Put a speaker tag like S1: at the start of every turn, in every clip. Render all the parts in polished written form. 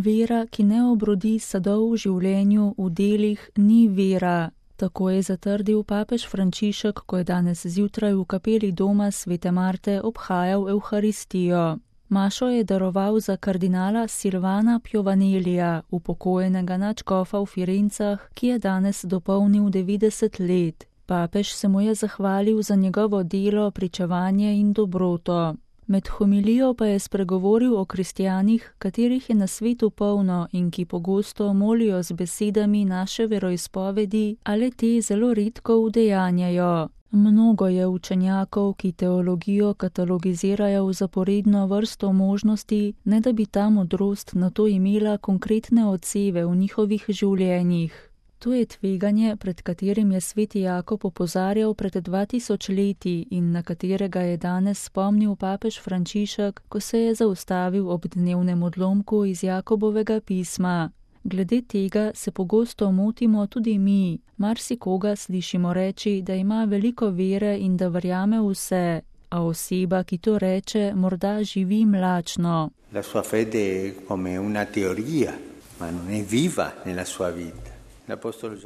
S1: Vera, ki ne obrodi sadov v življenju, v delih, ni vera. Tako je zatrdil papež Frančišek, ko je danes zjutraj v kapeli doma Svete Marte obhajal Evharistijo. Mašo je daroval za kardinala Silvana Piovanelija, upokojenega nadškofa v Firencah, ki je danes dopolnil 90 let. Papež se mu je zahvalil za njegovo delo, pričevanje in dobroto. Med homilijo pa je spregovoril o kristjanih, katerih je na svetu polno in ki pogosto molijo z besedami naše veroizpovedi, ali te zelo redko udejanjajo. Mnogo je učenjakov, ki teologijo katalogizirajo v zaporedno vrsto možnosti, ne da bi ta modrost na to imela konkretne odseve v njihovih življenjih. To je tveganje, pred katerim je sveti Jakob opozarjal pred 2000 leti in na katerega je danes spomnil papež Frančišek, ko se je zaustavil ob dnevnem odlomku iz Jakobovega pisma. Glede tega se pogosto motimo tudi mi. Marsikoga slišimo reči, da ima veliko vere in da verjame vse, a oseba, ki to reče, morda živi mlačno.
S2: La sua fede è come una teoria, ma non è viva nella sua vita.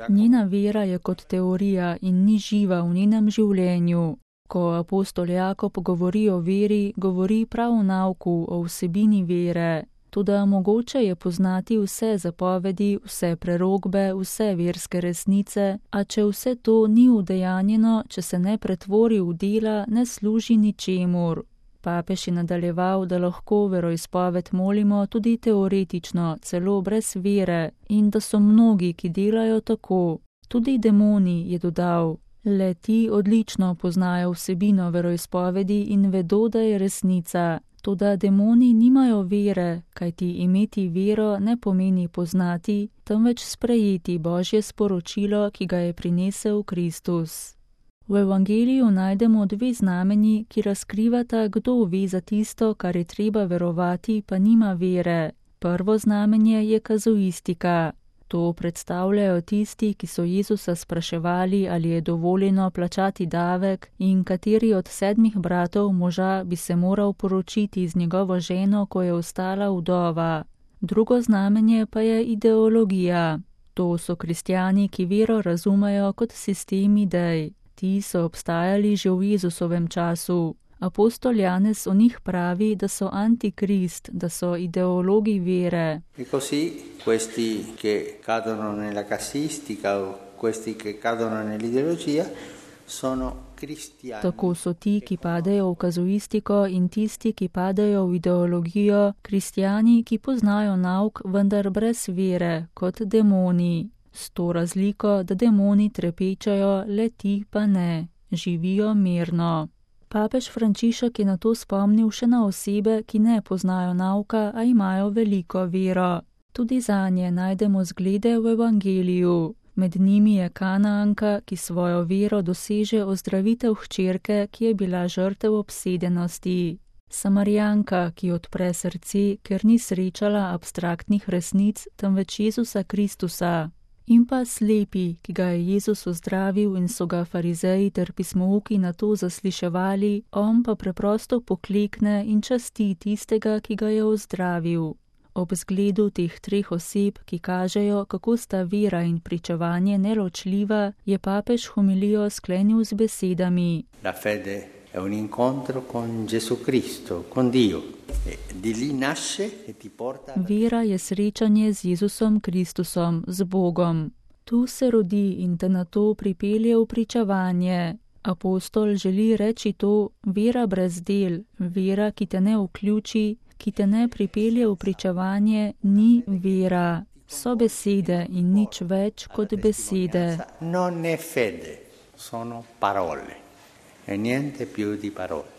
S1: Njena vera je kot teorija in ni živa v njenem življenju. Ko apostol Jakob govori o veri, govori prav o nauku, o vsebini vere. Toda mogoče je poznati vse zapovedi, vse prerokbe, vse verske resnice, a če vse to ni udejanjeno, če se ne pretvori v dela, ne služi ničemur. Papež je nadaljeval, da lahko veroizpoved molimo tudi teoretično, celo brez vere, in da so mnogi, ki delajo tako. Tudi demoni, je dodal. Le ti odlično poznajo vsebino veroizpovedi in vedo, da je resnica. Toda demoni nimajo vere, kajti imeti vero ne pomeni poznati, temveč sprejeti Božje sporočilo, ki ga je prinesel Kristus. V evangeliju najdemo dve znamenji, ki razkrivata, kdo ve za tisto, kar je treba verovati, pa nima vere. Prvo znamenje je kazuistika. To predstavljajo tisti, ki so Jezusa spraševali, ali je dovoljeno plačati davek in kateri od 7 bratov moža bi se moral poročiti z njegovo ženo, ko je ostala vdova. Drugo znamenje pa je ideologija. To so kristjani, ki vero razumejo kot sistem idej. Ti so obstajali že v Jezusovem času. Apostol Janez o njih pravi, da so antikrist, da so ideologi vere.
S2: E così questi che cadono nella casistica o questi che cadono nell'ideologia sono cristiani.
S1: Tako so ti, ki padejo v kazuistiko in tisti, ki padejo v ideologijo, kristjani, ki poznajo nauk, vendar brez vere, kot demoni. S to razliko, da demoni trepečajo, le ti pa ne, živijo mirno. Papež Frančišek je na to spomnil še na osebe, ki ne poznajo nauka, a imajo veliko vero. Tudi zanje najdemo zglede v evangeliju. Med njimi je Kanaanka, ki svojo vero doseže ozdravitev hčerke, ki je bila žrtev obsedenosti. Samarijanka, ki odpre srce, ker ni srečala abstraktnih resnic, temveč Jezusa Kristusa. In pa slepi, ki ga je Jezus ozdravil in so ga farizeji ter pismouki na to zasliševali, on pa preprosto poklekne in časti tistega, ki ga je ozdravil. Ob zgledu teh 3 oseb, ki kažejo, kako sta vera in pričevanje neločljiva, je papež homilijo sklenil z besedami.
S2: La fede è un incontro con Gesù Cristo, con Dio. Di lì nasce e ti porta.
S1: Vera je srečanje z Jezusom Kristusom, z Bogom. Tu se rodi in te na to pripelje v pričevanje. Apostol želi reči to, vera brez del, vera, ki te ne vključi, ki te ne pripelje v pričevanje, ni vera. So besede in nič več kot besede.
S2: Non è fede, sono parole e niente più di parole.